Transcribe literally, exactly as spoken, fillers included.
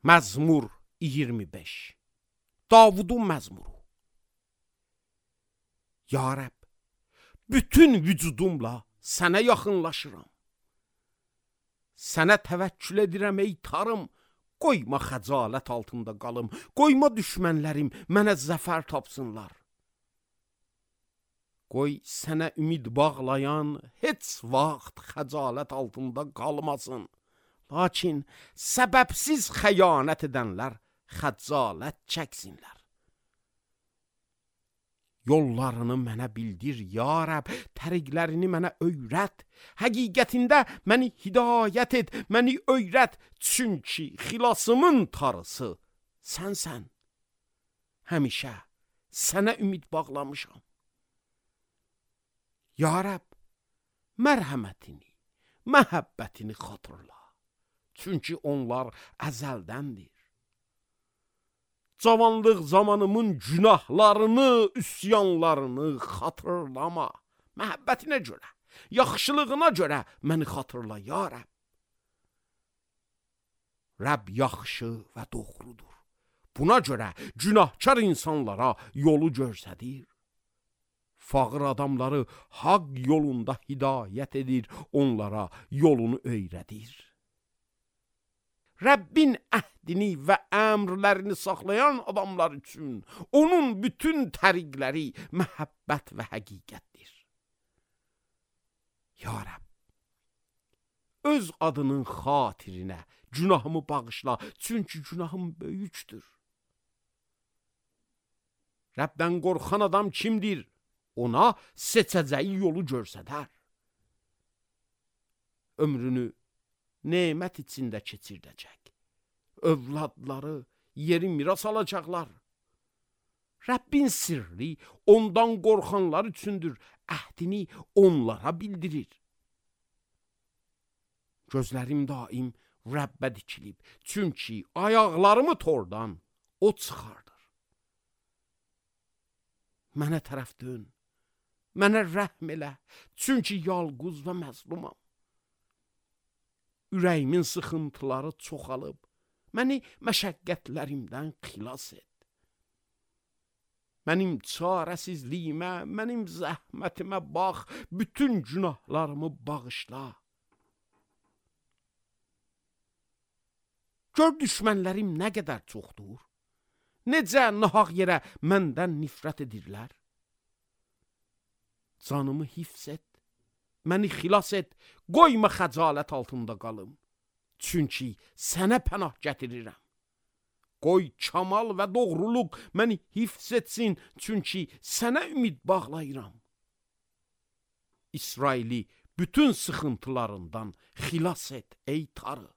Məzmur iyirmi beş. Davudun məzmuru. Ya Rəbb, bütün vücudumla sənə yaxınlaşıram. Sənə təvəkkül edirəm ey tarım, qoyma xəcalət altında qalım, qoyma düşmənlərim mənə zəfər tapsınlar. Qoy sənə ümid bağlayan heç vaxt xəcalət altında qalmasın. Lakin səbəbsiz xəyanət edənlər xəcalət çəksinlər. Yollarını mənə bildir, ya Rəbb, təriqlərini mənə öyrət. Həqiqətində məni hidayət et, məni öyrət. Çünki xilasımın tarısı sənsən. Həmişə sənə ümid bağlamışam. Ya Rəbb, mərhəmətini, məhəbbətini xatırla. Çünki onlar əzəldəndir. Cavanlıq zamanımın günahlarını, üsyanlarını xatırlama. Məhəbbətinə görə, yaxşılığına görə məni xatırla, ya Rəbb. Rəbb yaxşı və doğrudur. Buna görə günahkar insanlara yolu göstərir. Fağır adamları haqq yolunda hidayət edir, onlara yolunu öyrədir. Rəbbin əhdini və əmrlərini saxlayan adamlar üçün onun bütün təriqləri məhəbbət və həqiqətdir. Ya Rəbb, öz adının xatirinə günahımı bağışla, çünki günahım böyükdür. Rəbdən qorxan adam kimdir? Ona seçəcəyi yolu göstərər. Ömrünü nemət içində keçirdəcək. Övladları yeri miras alacaqlar. Rəbbin sirri ondan qorxanlar üçündür. Əhdini onlara bildirir. Gözlərim daim Rəbbə dikilib. Çünki ayaqlarımı tordan o çıxardır. Mənə tərəf dön. Mənə rəhm elə. Çünki yalquz və məzlumam. Ürəyimin sıxıntıları çoxalıb, məni məşəqqətlərimdən xilas et. Mənim çarəsizliyimə, mənim zəhmətimə bax, bütün günahlarımı bağışla. Gör düşmənlərim nə qədər çoxdur, necə nahaq yerə məndən nifrət edirlər. Canımı hifz et. Məni xilas et, qoyma xəcalət altında qalım. Çünki sənə pənah gətirirəm. Qoy kamal və doğruluq məni hifz etsin, çünki sənə ümid bağlayıram. İsraili bütün sıxıntılarından xilas et ey Tanrı.